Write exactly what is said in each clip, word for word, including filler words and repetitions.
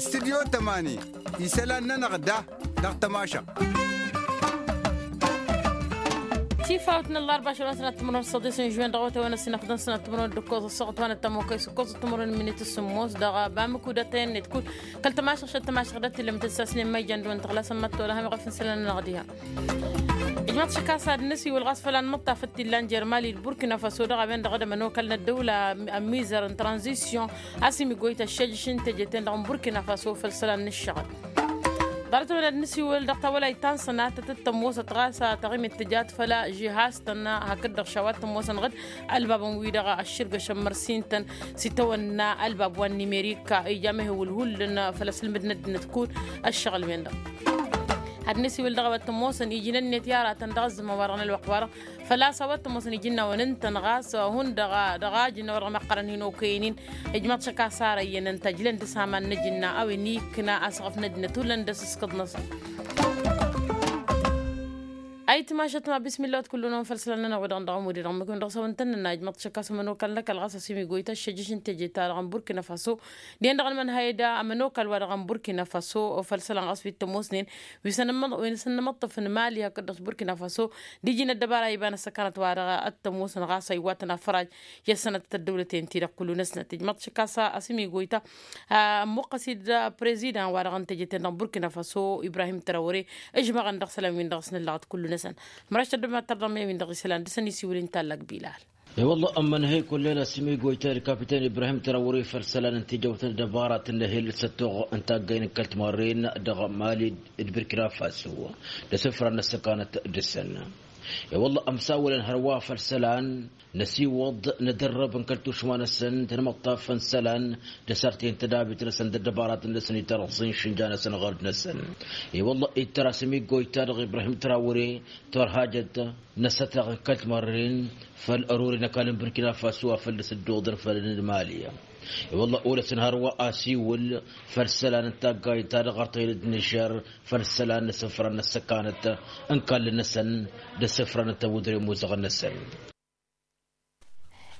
Studyo tămani isălan-nănăɣ da dăɣ-tămašăɣt. Tifawt n-ăllarba ašăl wa n-sănat timărwen s-săḍis n-žwen dăɣ-awătay wa n-ăssinăfḍăn sănat timărwen d-ǝkkoẓ ăssoɣăt wa n-ăttămokăy s-ǝkkoẓ timărwen n-minit s-sǝmmos dăɣ-bamǝkudătăyăn-net kull kăl-tămašăɣt šăt tămašăɣt d-ătillămǝt d-sasnen ma ijan dăɣ-wăn tăɣlasăn măttol a hamăɣ afǝnsălăn-anăɣ diha. Ijmaḍ šăkasa d-nǝsiwǝl ɣas făl anmăṭṭaf d-tilla n-jer-mali d-burkina faso dăɣ-a-wen-dăɣ d-ămănokal n-ăddăwla ămmizăr n-tranzisyon a-s imigoyt ăššejăš n-teje-ten-dăɣ n-burkina faso făll-isălan n-ǝššăɣǝl. Ḍarăt-wen ad-nǝsiwǝl dăɣ-tawălayt ta n-sănatăt d-tămoosăt ɣas taɣimet tǝjat făll-žihaz-tăn hakd-dăɣ šawa t-ămoosăn ɣǝd ălbabăn-wi-dăɣ ăššǝrgăšăn mărsin-tăn s-itawănna ălbab wa n-nimerik ija mehewǝl hullan făll-asǝlmǝd n-ăddinăt kull ăššăɣǝl-wen-dăɣ. Ad-nǝsiwǝl dăɣ-a-wa t-ămoosăn iji n-ănnet i-aratăn dăɣ-ăzzăman wa dăɣ-nălwăqq wa-dăɣ făl-a-s a-wa t-ămoosăn iji n-a-wen ǝnta ănɣas hundăɣ-a dăɣ-ajǝnna wa dăɣ-măqqărăn hin-okăyăn-in. Ijmăḍ šăkasa ara iyyăn ǝnta ǝjlăn dăr-s aman n-ajǝnna a-wen ikkǝna asăɣăf n-ăddinăt hullan d-asǝskăḍ-năsăn. Ayǝtmašăt ma bismillah wa t-kull-năwăn făll-isălan-nănăɣ wa dăɣ-nǝdăɣ ămuded dăɣ-măkǝn dăɣ-s a-wa ǝntănnănna ijmăḍ šăkasa ămănokal n-ăkall ɣas a-s imigoyt ăššăjjăš n-teje-ta-dăɣ n-burkina faso. Dihen-dăɣ ălmănhăy d-ămănokal wa dăɣ-n burkina faso făll-isălan ɣas wi t-ămoosnen wi s-ănmăḍ wi s-ănmăḍtăf n-mali hakd-dăɣ s-burkina faso d-iji n-ăddăbara iba n-ăssăkanăt wa dăɣ-t-ămoosăn ɣas a iwwatăn afraj i-ăssănătăt ăddăwlăten-ti-dăɣ kullu-năsnăt ijmăḍ šăkasa a-s imigoyta. Ămmuqqăs-dd prezidan wa dăɣ-n teje-ten-dăɣ n-burkina faso ibrahim tărawăre ǝžmăɣăn dăɣ-isălan-win-dăɣ s-nǝllăɣăt kullu-năsăn. Măraš tăddobem ad-tărdăɣ mey-win-dăɣ isălan dăr-săn isiwǝl-in tallak bilal. E-wălla ămmănhăy kull-en a-s imigoyta d-kapitan ibrahim tărawăre făll-isălan n-tijăwt n-ăddăbaratăn n-ehel s-ăttoɣ n-taggayn n-kăl-timarren dăɣ-mali d-burkina faso d-asǝfra n-ăssăkanăt dăr-săn. E-wălla ămsawălăn hărwa făll-isălan năsiwăḍ nădărrăb n-kăl-tušma-năsăn tanmăṭṭaf n-isălan d-asărtăy n-tădabit-năsăn d-ăddăbaratăn-năsăn itarăẓẓin šǝnja-năsăn ɣărd-năsăn. E-wălla ittăr a-s imigoyta dăɣ-ibrahim tărawăre turhajăt n-asătaɣ n-kăl-timărren făll-ărori n-ăkall n-burkina faso a făl dăr-s dd-oḍăn făll-ănmali. E-wălla olăsăn hărwa asiwǝl făll-isălan n-taggayt ta dăɣ-ărtăyăn d-nižer făll-isălan n-asǝfra n-ăssăkanăt n-kall-năsăn d-asǝfra n-ăttăwădre imuzăɣăn-năsăn.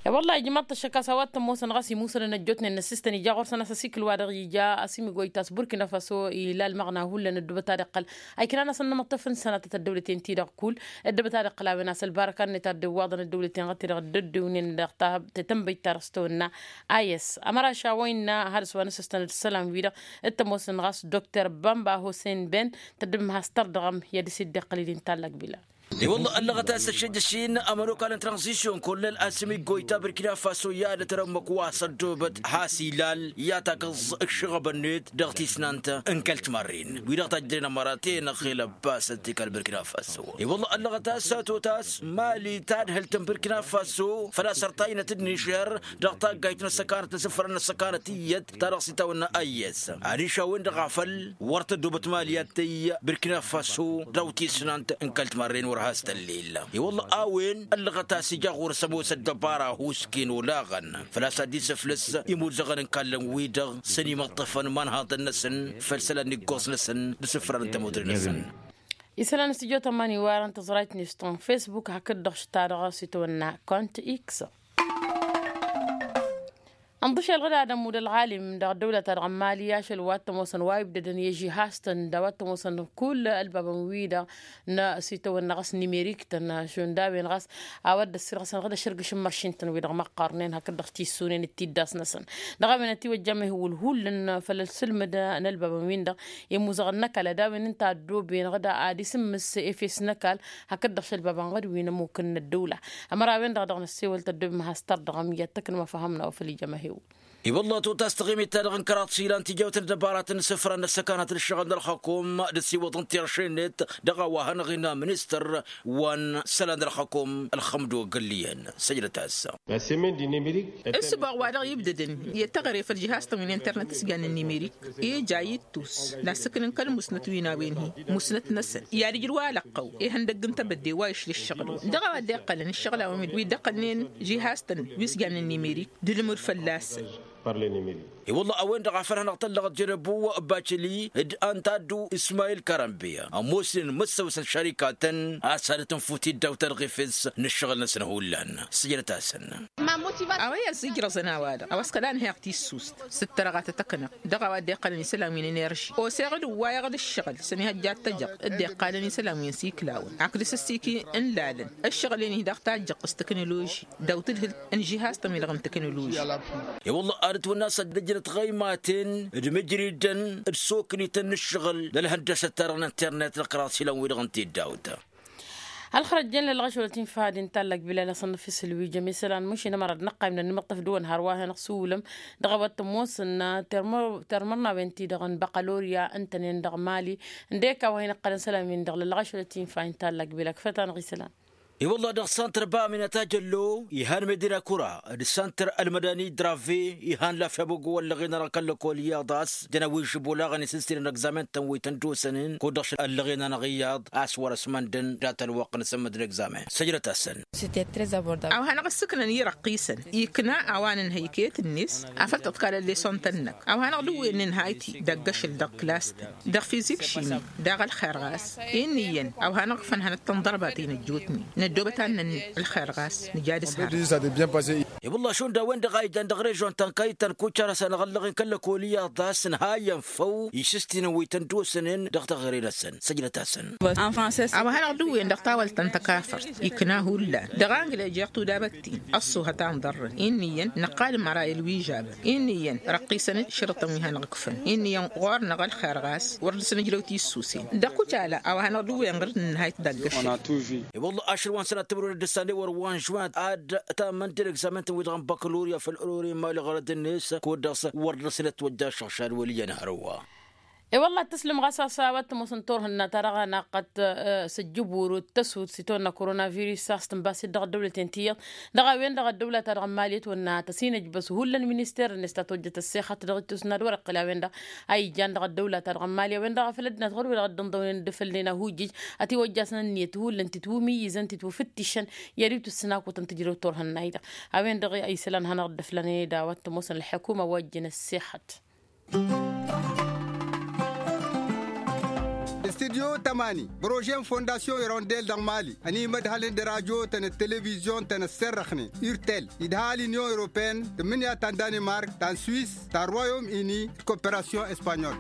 E-wălla ijmăḍ-t ăššăk a-s a-wa t-ămoosăn ɣas imusălăn ăjjootnen n-asǝstăn ija ɣur-săn a-s asikǝl wa dăɣ-ija a-s imǝgoyt a-s burkina faso ila ălmăɣna hullan ăddubăt ad-iqqăl a iknan-asăn inǝmǝṭṭăf n-sănatăt ăddăwlăten-ti-dăɣ kull ăddubăt ad-iqqăl a-wen a-s ălbarăka-net ad-dd-iwwaḍăn ăddăwlăten ɣăt-i-dăɣ dd-ăddiwnen dăɣ-tetănbăyt ta dăɣ-s tăwănna. Ayǝs ămăraš a-wa innă had-s wa n-asǝstăn d-isălan-wi-dăɣ t-ămoosăn ɣas dokter bamba hosen ben tăddǝbăm has-tărdăɣăm i-ad-dăr-s dd-iqqăl-dd-in tallak bila. I-wălla ăllăɣăt a-s ăššejăš-in ămănokal n-tranzisyon kollăl a-s ămiggoyta burkina faso i-ad-ătrămmăk wa s-ăddoobăt has-ilal i-ad-takǝẓẓ ǝššăɣăb-net dăɣ-tisnant n-kăl-timarren wi-dăɣ tajjănen ămărat-en ăxel ăbbasăt i-kăl-burkina faso. I-wălla ăllăɣăt a-s a tot a-s mali tadhǝlt n-burkina faso făl-a-s ărtaynăt d-nižer dăɣ-taggayt n-ăssăkanăt n-asǝfra n-ăssăkanăt iyyăt ta dăɣ-s itawănna ayyăs. Adiš-a-wen-dăɣ a făl wăr tădobăt mali ad-tăyy burkina faso dăɣ-tisnant n-kăl-timarren wăr has-tăllil. I-wălla a-wen ăllăɣăt a-s ija ɣur-s ămoos ăddăbara husken olaɣăn făl-a-s ad-dd-isǝflǝs imuzăɣăn n-ikallăn-wi-dăɣ s-ănimăṭṭăfăn imanhaḍăn-năsăn făll-isălan n-iggoẓ-năsăn d-asǝfran n-tămudre-năsăn. Isălan s-tijot ămani iwarăn tăẓrayt n-iston facebook hakd-dăɣ šta dăɣ-s itwănna kont x. Ănḍǝšel ɣǝd ad-ămmud ălɣalim dăɣ-ăddăwlăt-a-dăɣ n-mali ašăl wa t-ămoosăn wa ibdădăn i-žihaz-tăn d-a-wa t-ămoosăn kull ălbabăn-wi-dăɣ n-sitawănna ɣas n-imerik-tăn šund a-wen ɣas a-wa dd-ăssirɣăsăn ɣǝd ăššărgǝš n-măršin-tăn wi-dăɣ măqqarnen hakd-dăɣ tissunen d-tiddas-năsăn. Dăɣ-a-wen ătiwăjja mehwǝl hullan făll-ălsǝlmǝd n-ălbabăn-win-dăɣ i-imuzăɣăn n-ăkall ad-a-wen ǝnta a ăddooben ɣǝd ad-isǝmmǝs efes n-ăkall hakd-dăɣ šălbabăn ɣǝd wi n-ămmuk n-ăddăwla. Ămăra-wen-dăɣ dăɣ-năssewăl tăddobem has-tărdăɣăm i-ad-tăknăm afăhăm n-a-wa făl ija măhew. I-wălla totas taɣimit-ta-dăɣ n-kăraḍ s-ilan tijawt n-ăddăbaratăn n-isǝfran n-ăssăkanăt n-ǝššăɣǝl n-ălxăkum d-ăsiwăḍăn tirše-net dăɣ-a-wa hanăɣ-innă ministăr wa n-isălan n-ălxăkum ălxămdo gălliyăn săjdăt-as. Ǝssǝboɣ wa dăɣ-ibdădăn i-teɣăre făll-žihaz-tăn wi n-internet s-jannen n-imerik ija ittus n-asǝknǝn kăl-musnăt wi n-a-wen-hi musnăt-năsăn i-ad-ǝjrǝw alăqqăw ihăndăgg n-tebădde wa išla ǝššăɣǝl-wen dăɣ-a-wa dd-iqqălăn ǝššăɣǝl-a-wen wi dd-ăqqălnen žihaz-tăn wi s-jannen n-imerik d-alǝmud fălla-săn. I-wălla a-wen-dăɣ a făl hanăɣ-tăllăɣăt jănăbu bacili d-antaddu ismayil karănbiya ămoosnen măssăwăs n-šărikatăn a-s ad-tǝnfu tiddawt tărɣifes n-ǝššăɣǝl-năsăn hullan. Sǝjdăt-asăn. A-wa i-ăzzijrăẓăn a-wa-dăɣ a-wa s-kăla ǝnhăyăɣ tissust s-ǝttărăɣ a tăt-ăknăɣ dăɣ-a-wa dd-iqqălăn isălan wi n-enerži oseɣ d-ǝwwayăɣ d-ǝššăɣǝl s-ănihăjja ad-t-ăjăɣ dd-iqqalăn isălan wi n-siklawăn hakd asǝssiki n-lalăn ǝššăɣǝl-en-hi dăɣ-tajjăɣt s-tăknoloži. Dăw-tǝdhǝlt n-žihaz-tăn-wi-dăɣ n-tăknoloži. I-wălla ad-ǝtwănna a-s ăddăjnăt ɣăymaten d-imǝjridăn d-soknităn n-ǝššăɣǝl d-ălhăndăsăt-ta-dăɣ n-internet d-ăkraḍ s-ilăn-wi-dăɣ n-tiddawt. Ălxărăt jăn lălɣăšolăt infa ad-intallak bilal asănnăf isǝlwijăm isălan măšin ămăra d-năqqayǝm d-ănnimăṭṭăf dăwăn hărwa a hanăɣ-sǝwwǝlăm dăɣ-a-wa t-ămoosăn termărnawen-ti-dăɣ n-băqqălorya ǝntănen dăɣ-mali. Ǝndek a-wa hin-ǝqqălăn isălan-win-dăɣ lălɣăšolăt infa ad-intallak bilal kǝfăt-anăɣ isălan. I-wălla dăɣ-santăr ba aminata jăllo ihan medina kura d-santăr ălmădani drave ihan lafya băggo ăllăɣen-anăɣ kăl-lăkol iyyăḍ a-s jăn a-wen žibolaɣăn isǝnsinăn ăgzamen-tăn wi tăn-dd-osănen kud-dăɣ ăllăɣen-anăɣ iyyăḍ a-s wăr-ăsmăndăn dat-ălwăqq n-asǝmmǝd n-ăgzamen săjdăt-asăn. A-wa hanăɣ-ǝssǝknăn i-răqqisăn ikna a-wa nǝnhăy iket-net afăl tǝḍkalăn lesson-tăn-năk a-wa hanăɣ-dd-ǝwwen nǝnhayt-i dăgg-ašăl dăɣ-klas-tăn dăɣ-fizik šimi. Daɣ ălxer ɣas inn'-iyyăn a-wa hanăɣ-ǝkfăn hanăt-tăn ḍărbat-in ăjjootnen năddoobăt ad-nănn ălxer ɣas nǝja d-ǝshar. I-wălla šund a-wen-dăɣ a ijan dăɣ-režion-ta n-kayt ta n-kucar a-s hanăɣ-ăllăɣen kăl-lăkol iyyăḍ a-s ǝnhayăn făw išǝstinăn wi tăn-dd-osănen dăɣ-teɣăre-năsăn săjdăt-asăn. A-wa hanăɣ-dd-ǝwwen dăɣ-tawălt ta n-takafărt ikna hullan dăɣ-anglez jeɣ tudabăt-in ăṣṣuhăt a ǝnḍărrăn inn'-iyyăn năqqal măra i-ălwižabăn inn'-iyyăn răqqisăn-dd šărǝṭăn wi hanăɣ-ǝkfăn inn'-iyyăn ɣur-năɣ ălxer ɣas wăr dăr-s-nǝjrăw tissusen dăɣ-kucala a-wa hanăɣ-dd-ǝwwen ɣǝr-dd ǝnnihayt dăgg-ašăl. I-wălla ašăl wa n-sănat timǝrwen d-ǝssan i-wăr wa n-žuwin ad-tamăn d-egzamen-tăn wi-dăɣ n-bakălurya făll-ărori n-imali ɣărăd-net kud-dăɣ s-wăr dăr-s inătwăjja ašăɣšad wăl' iyyăn hărwa. I-wălla ad-tǝslǝm ɣas a-s a-wa t-ămoosăn turhǝnna ta dăɣ-anaqăt s-ǝjjǝburu d-tăsut s-itawănna koronavirus a-s tǝnbas-dd dăɣ-ăddăwlăten ti iyyăḍ dăɣ-a-wen-dăɣ ăddăwla-ta-dăɣ n-mali ătwănna tăsinăjbăs hullan minister-net ta tojjăt ăssexăt dăɣ-ittus n-ad-wăr-iqqǝl a-wen-dăɣ a ijan dăɣ-ăddăwla-ta-dăɣ n-mali a-wen-dăɣ a făl ăddinăt ɣur-wi-dăɣ dd-ǝnḍăwnen d-afălnen ahujjǝj ătiwăjjasăn ǝnniyăt hullan titwǝmǝyyǝzăn titwǝfǝttǝšăn i-ad-iwtǝssǝn akutăn tǝjrăw turhǝnna-i-dăɣ. A-wen-dăɣ isălan hanăɣ-dd-ăflănen d-a-wa t-ămoosăn ălḥukuma wa ǝjjǝn ăssexăt. Studyo tămani bărože n-fondasyon irondel dăɣ-mali ănimădhălăn d-rajotăn d-televizyon-tăn ăsserrăxnen urtel idha l-inyon europeen tǝmmǝnǝya ta n-danimark ta n-swis ta n-royom ini d-koperasyon espanyol.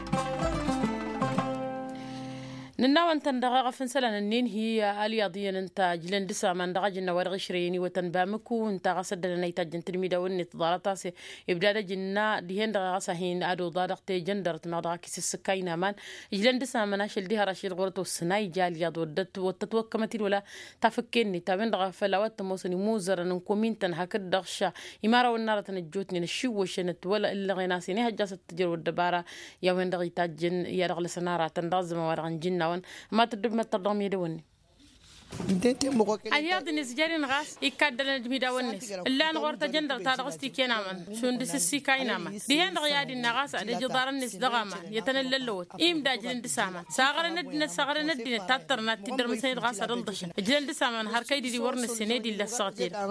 Nǝnnawăn-tăn dăɣ-eɣăf n-isălan ǝnnin-hi alyaḍ iyyăn ǝnta ǝjlăn d-asaman dăɣ-ajǝnna wa dăɣ-išrăyăn iwătăn bamǝku ǝnta ɣas ăddălăn a itajjăn tǝdmidawăn-net ḍarăt a-s ibdad ajǝnna dihen-dăɣ ɣas a hin-ad-oḍa dăɣ-tejăndărăt meɣ dăɣ-ak isǝssǝkka ăynaman. Ǝjlăn d-asaman ašăl diha rašid ɣur-ătwăssăn a ija alyaḍ wăr dd-ătwăkkămăt-dd wăla tafǝkke-net a-wen-dăɣ a făl a-wa t-ămoosăn imuzărăn n-komin-tăn hakd-dăɣ ša imărawăn n-aratăn ăjjootnen ăššiwwăšăn ătwălăɣen a-s inihăjja a-s ăttǝjrăw ăddăbara i-a-wen-dăɣ itajjăn i-ad-ăɣlăsăn aratăn dăɣ-ăzzăman wa dăɣ-nǝjǝnnawăn. Ămatăt dd-măttăr dăɣ-medăwănnen. Alyaḍ-net jăr-in ɣas ikkaddălăn d-imidawăn-net ǝllan ɣur-tăjăndăr ta dăɣ-s tiken aman šund s-ǝssika inaman dihen-dăɣ i-ad-innă ɣas ad-ăj iḍarăn-net dăɣ-aman i-tăn-ăllăllăwăt imdajlăn d-asaman saɣărăn ăddinăt saɣărăn ăddinăt tattărnat tiddărmǝsăn-dd ɣas ad-ǝlḍăšăn ǝjlăn d-asaman har kăy-didi wăr nǝssen ed illa ăssaɣăt-i-dăɣ.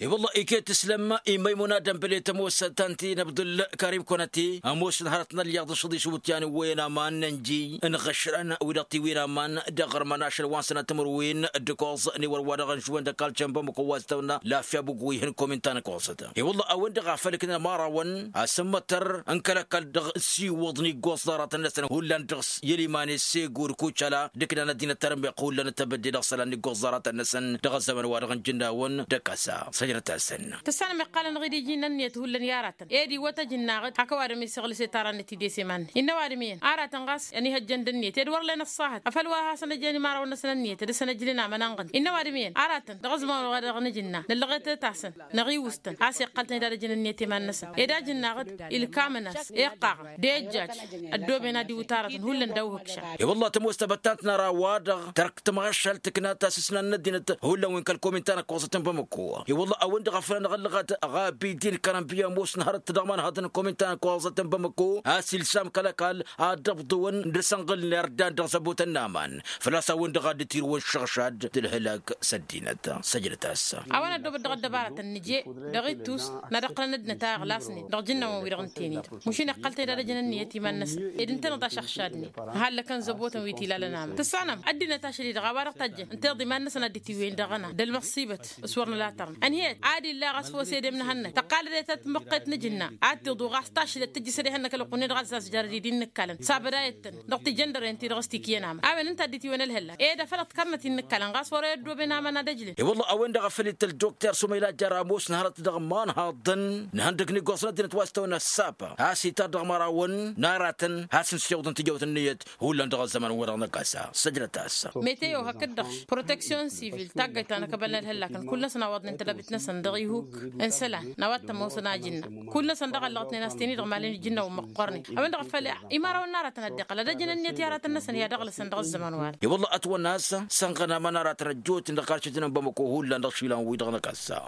I-wălla iket tǝslăm i-măymuna dămbăle tămoos ta n-ti n-abdul karim kăwăn-ăti ămoosăn hărăt n-alyaḍ n-šăḍis iwǝtyan iwwăyăn aman n-ănjǝy n-iɣăšrăn wi-dăɣ tiwǝyăn aman dăɣ-ărmăn ašăl wa n-sănat timǝrwen d-ǝkoẓ n-iwăr wa dăɣ-n žuwăn d-ăkall cănba măkăwwaz tăwna lafya bugwǝyhăn komin ta n-ăkoẓăt. I-wălla a-wen-dăɣ a făl ǝknăn ămarawăn asǝmmătăr n-kăl-ăkall dăɣ-siwǝḍ n-iggoẓ ḍarătăn-năsăn hullan dăɣ-s i-ăliman i-segu d-kucala d-ǝknan ăddinăt tarmeɣt hullan d-tebădde dăɣ-isălan n-iggoẓ ḍarătăn-năsăn dăɣ-ăzzăman wa dăɣ-n jǝnnawăn d-ăkasa săjdăt-asăn. Tǝssanăm iqqalăn ɣid iji n-ǝnniyăt hullan i-aratăn ed iwwăt ăj ǝnnaɣ-dd hak ăwadǝm isăɣlǝs i-tarannăt-id i-s iman-net innă ăwadǝm iyyăn aratăn ɣas ănihăjjăn d-ǝnniyăt ed wăr len ăṣṣahăt afăl wa hasăn-ăjjăn imărawăn-năsăn ǝnniyăt ad-dăr-săn ăjlǝn aman ănɣǝn innă ăwadǝm iyyăn aratăn dăɣ-ăzman wa dăɣ-nǝjǝnna nǝllăɣet-tasăn năɣ iwǝstăn a-s iqqăltăn ed ad-ăjjăn ǝnniyăt i-iman-năsăn ed a ǝjǝnnaɣ-dd ilkamăn-as iqqaɣăn d-ejjaj ăddooben ad-iwǝt aratăn hullan d-awǝhǝkšan. I-wălla tămoos tabăttant n-ara-wa-dăɣ tărk tămašalt tǝkna tasǝsna n-ăddinăt hullan wi n-kăl-komin ta n-ăkkoẓăt n-bamăko. I-wălla a-wen-dăɣ a făl anăɣ-ăllăɣăt ɣabidin kărănbiya ămoosăn hărăt dăɣ-imanhăḍăn n-komin ta n-ăkkoẓăt n-bamăko a-s ilsam kăl-ăkall ad-dd-ăbḍǝwăn dăr-săn ɣǝlner dan dăɣ-zăbotăn n-aman făl-a-s a-wen-dăɣ a dd-tirǝwăn. ăšad d-ǝlhǝlăk s-ăddinăt. Săjdăt-as. A-wen ăddoobăt dăɣ-ăddăbarătăn nǝje dăɣ-ittus n-ad-ǝqqǝlăn ăddinăt a iɣlasnen dăɣ-ijǝnnawăn-wi-dăɣ ǝnta-en-dd, mušin iqqăl-ten ad-ăjăn ǝnniyăt iman-năsăn ed ǝntăneḍ ašăɣšadnen. Hallăkăn zăbotăn wi t-ilalăn amăr tǝssanăm ăddinăt ašăl-i-dăɣ a-wa dăɣ-tajjăn ǝnta iḍ iman-năsăn ad-dd-itiwwăyăn dăɣ-ăna d-ălmăṣṣibăt s-wăr nǝlatărnăt ănhăyăt ad-illa ɣas făw s-edem n-ehănnăt tăqqalăd i-tatmăqqet n-ajǝnna ad-tiḍu ɣas tašlăt tǝjjǝs ad-ehănnăk ălwăqq-net dăɣ-ăzzazjărăd-dd innǝkkalăn sabăd a iyyăttăn dăɣ-tijăndăren-ti-dăɣ s-tikǝyăn amăr a-wen ǝnta a dd-itiwwăyăn ălhăllak ed afăl ăḍkărnăt innǝkkalăn ɣas wăr-e ăddooben aman ad-ăjlen. I-wălla a-wen-dăɣ a făl ităl dokter sumayla jăr ămoos n-hărăt dăɣ-iman haḍăn n-ihăndăg n-iggoẓăn ăddinăt wa s-tawăn ăssapa a-s itar dăɣ-imărawăn n-aratăn has-ǝnsiwǝḍăn tijăwt ǝnniyăt hullan dăɣ-ăzzăman-wi-dăɣ n-ăkasa. Săjdăt-as. Meteo hakd-dăɣ proteksyon sivil taggayt ta n-akăbal n-ălhăllakăn kull-năsăn a iwaḍnen tălăbit-năsăn dăɣ-ihuk n-isălan n-a-wa t-ămoosăn ajǝnna kull-năsăn dăɣ-ăllăɣătnen a-s ten-i-dăɣ malăn ijǝnnawăn măqqoornen. A-wen-dăɣ a făl imărawăn n-aratăn ad-dd-iqqăl ad-ăjăn ǝnniyăt i-aratăn-năsăn i-ad-ăɣlăsăn dăɣ-ăzzăman wa-dăɣ. I-wălla ătwănna a-s sănɣăn aman aratăn ăjjootnen dăɣ-karcităn n-bamăko hullan dăɣ-išilan-wi-dăɣ n-akăssa.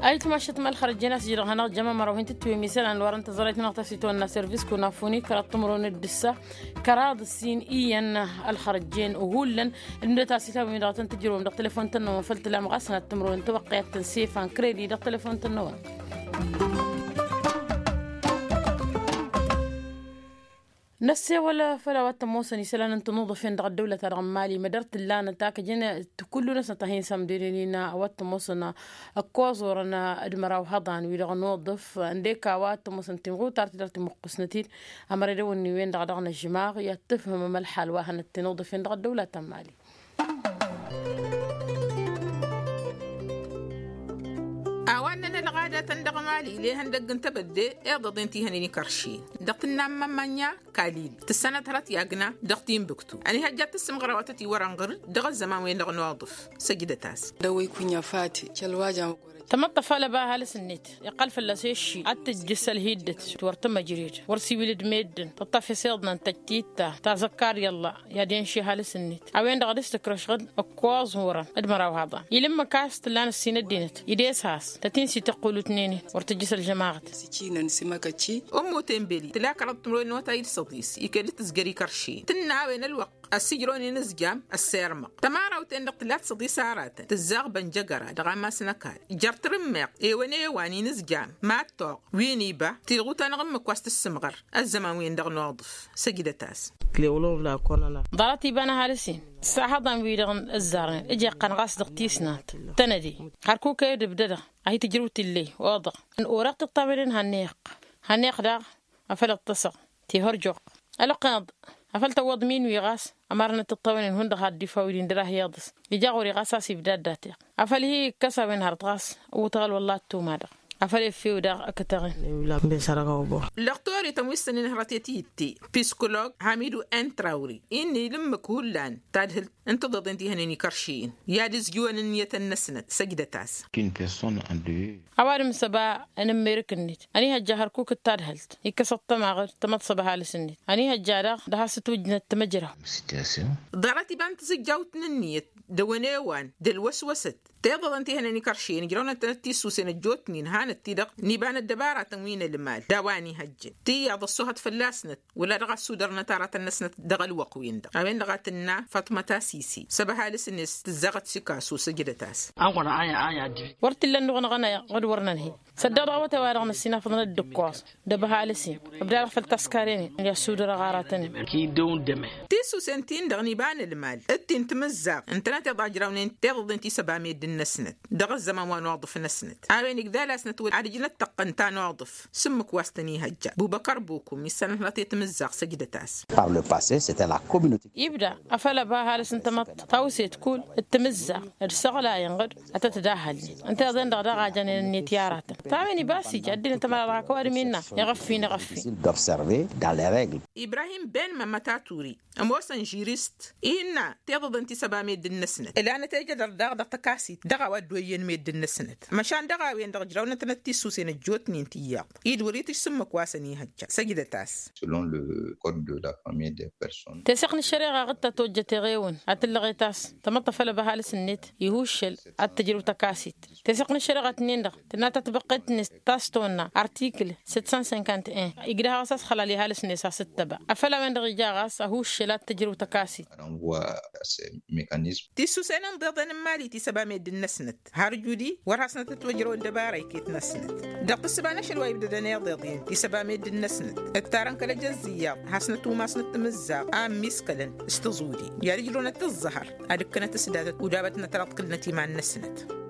Ayǝtmašăt ma ălxărăjjen a-s ǝjrăɣ hanăɣ-jăm ămăraw hin-tǝtwǝmmisălan wărăn tăẓrayt-nănăɣ ta s-itwănna service kunafuni kăraḍ timǝrwen d-ǝssa kăraḍ ǝssin iyyăn ălxărăjjen hullan. Ǝlmǝdăt a-s itawǝm-i-dăɣ tăn-tǝjrǝwăm dăɣ-telefon-tăn-năwăn făll-tǝlam ɣas n-ad-tǝmrǝwăn tawăqqiyat tăn-sefan kredi dăɣ-telefon-tăn-năwăn. Năssewăl făll-a-wa t-ămoosăn isălan n-tinuḍăfen dăɣ-ăddăwlăt-a-dăɣ n-mali mădăr t-ǝllanăt a kăjăn. Kullu-năsnăt a hin-sămdenen-in a-wa t-ămoosăn ǝkkoẓ orăn d-măraw hăḍan wi-dăɣ n-uḍǝf ǝndek a-wa t-ămoosăn timɣutar-ti-dăɣ timǝqqusnăt-dd. Ămăra edăwănni-wen-dăɣ dăɣ-nǝžmaɣ i-ad-tǝfhǝmăm ălxal wa hănăt tinuḍăfen dăɣ-ăddăwlăt n-mali. A-wa ǝnnăn ălɣadatăn dăɣ-mali ila ihăndăgg n-tebădde iḍăḍen ti hănen ikăršin dăɣ-tǝnna n-mămmănya kalil tǝssanăt hărăt i-agna dăɣ-tinbǝktu ănihăjja ad-tǝssǝmɣăr a-wa tăt-iwărăn ɣǝr-dd dăɣ-ăzzăman-wen-dăɣ n-uḍǝf. Săjdăt-as. Dăwăy kunya fati călwajam. Tamăḍt tăfalăba ăhalǝs-net iqqăl fălla-s i-ăššil ad-tǝjjǝs ălhiddăt wăr tămăjred wăr siwǝlǝd meddǝn tăṭṭăf isiḍnăn tăjtitta tazăkkar i-ălla i-ad-inši ăhalǝs-net. A-wen-dăɣ a dăɣ-s tǝkrăšɣǝd ǝkkoẓ n-wărăn d-măraw haḍan ilǝmmǝk a-s tǝllan ǝssin ăddinăt ides has tăt-in-s ităqqulutnen-in wăr tǝjjǝs ălžămaɣăt. Ǝmmut enbeli tǝla kăraḍ timǝrwen n-awătay d-săḍis ikel d-tǝzjăr ikăršin tǝnna a-wen ălwăqq ăssijrăwăn inǝzjam ăssirmăɣ tămarawt-en-dăɣ tǝla d-săḍis aratăn tǝzzaɣ bănjăgăra dăɣ-amas n-ăkall jer-tǝrǝmmeɣt ewăn ewan inǝzjam mad-toɣ wi n-iba tilɣut-anăɣ ǝmmǝk wa s-tǝssǝmɣăr ăzzăman-wen-dăɣ n-uḍǝf. Săjdăt-as. Ḍarăt iba n-ăhalǝs-in s-ahăḍan-wi-dăɣ ǝzzarnen ǝjeqqăn ɣas dăɣ-tisnant tănăde hărkuk edǝbdădăɣ a hi-tǝjrǝw tillăy oḍăɣ n-orăɣ tiṭṭawenen hannăyăɣ hannăyăɣ daɣ afăl ǝṭṭăsăɣ tihărjoɣ ălăqqănăḍ afăl tăwwăḍ min-wi ɣas ămarnăt tiṭṭawenen hundăɣ had-dd-ifa wi-din dăr-a hi-iḍǝs ija ɣur-i ɣas a-s ibda ăddateɣ afăl hi-ikkăs a-wen hărăt ɣas ǝwwǝtăɣ ălwălla ăttum-a-dăɣ. Afăl efew daɣ ăkătăɣ-in. Lăqtor-i tăn-wi s-tăn-inhărăt i-titti psikolog hamidu n-trawri-i n-ilǝmmǝk hullan tadhǝlt n-tiḍeḍen ti hănen ikărši-in i-ad-ǝzjǝwăn ǝnniyătăn-năsnăt. Săjdăt-as. Ăwadǝm s-ăba n-ǝmmerǝk-net ănihăjja hărkuk d-tadhǝlt ikkăs ăṭṭămaɣ d-tamăḍsăb ăhalǝs-net ănihăjja daɣ d-has-ǝtwǝjnăt timǝjraw. Ḍarăt iba n-tizǝjjawt n-ǝnniyăt d-ăwănewan d-ălwăswăsăt tiḍăḍăn ti hănen ikăršen ǝjrăwnăt-tănăt tissusen ăjjootnen hanăt-ti-dăɣ n-iba n-ăddăbaratăn wi n-ălmal d-a-wa ănihăjjăn tiyyăḍ ăssohăt fălla-snăt wăla dăɣ-a ăssudărnăt aratăn-năsnăt dăɣ-ălwăqq-win-dăɣ. A-wen-dăɣ a tǝnna faṭmăt asisi săb ăhalǝs-net tǝzzaɣăt sikasu. Săjdăt-as. Wăr t-illa ănnuɣ-năɣ ănayăɣ d-wăr nănhăy săddeɣ dăɣ-awătay-wa-dăɣ năssinafăḍ n-ăddǝkkoẓ d-ăbhal ǝssin ăbdadăɣ făll-taskaren i-ăssudărăɣ aratăn-in. Ki dăw-n dăme. Tissusen-tin-dăɣ n-iba n-ălmal d-tin timǝzzaɣt ǝntănăt iḍa ǝjrawnen tiḍăḍen ti s-ăba meddǝn-năsnăt dăɣ-ăzzăman wa n-uḍǝf-năsnăt. A-wen igdal-asnăt wăla ad-ǝjnăt tăqqăn ta n-uḍǝf s-ǝmmǝk wa s-tăn-ihăjja bubăkăr bukum issanăt hănăt i-timǝzzaɣt. Săjdăt-as. Par le passe s-e tăn-la communauté. Ibda afăl ăba ăhalǝs n-tamăḍt tawset kull d-timǝzzaɣt d-isăɣlayăn ɣǝd ad-tăt-dd-ahălnen ǝnta iḍen-dăɣ daɣ a jănen ǝnniyăt i-aratăn. Ta-wen iba a-s ija ăddinăt ămăra dăɣ-ak ăwadǝm innă iɣăffin iɣăffin. D'observer dans les règles. Ibrahim ben mămătaturi ămoosăn žirist innă tiḍăḍen ti s-ăba meddǝn-năsnăt ǝlanăt ejădăr daɣ dăɣ-tăkasit. dăɣ-a-wa dd-oyyen meddǝn-năsnăt. Măšan dăɣ-a-wen-dăɣ ǝjrawnătnăt tissusen ăjjootnen tiyyăḍt-i d-wăr-itǝjj s-ǝmmǝk wa s-ănihăjja săjdăt-as. Selon le code de la famille des personnes. Teseɣt n-ăššăreɣa ɣǝtta tojjăt eɣewăn ad-tǝllăɣet a-s tămăḍt afăl ăba ăhalǝs-net ihuššăl ad-tǝjrǝw tăkasit. Teseɣt n-ăššăreɣa-tǝnnin-dăɣ tǝnna tatbăqqet-net ta s-tonna artikǝl săt san sinkant en. Igdăh ɣas a-s xălal i-ăhalǝs-net a-s ǝttăba afăl a-wen-dăɣ ija ɣas ăhuššăl ad-tǝjrǝw tăkasit. Tissusen n-inḍeḍen n-imali ti s-ăba meddǝn-năsnăt har judi wăr hasnăt ătwăjrăwăn dăbara iket-năsnăt. Dăɣ-tǝssǝba n-ašăl wa ibdădăn iḍeḍen ti s-ăba meddǝn-năsnăt ǝttarăn kăl-ejăzzǝyyaḍ hasnăt umasnăt timǝzzaɣ a ămmiskălăn s-tăẓudi i-ad-ǝjrăwnăt ǝẓẓăhăr ad-ǝkkănăt s-datăt udabătnăt raḍkǝlnăt iman-năsnăt.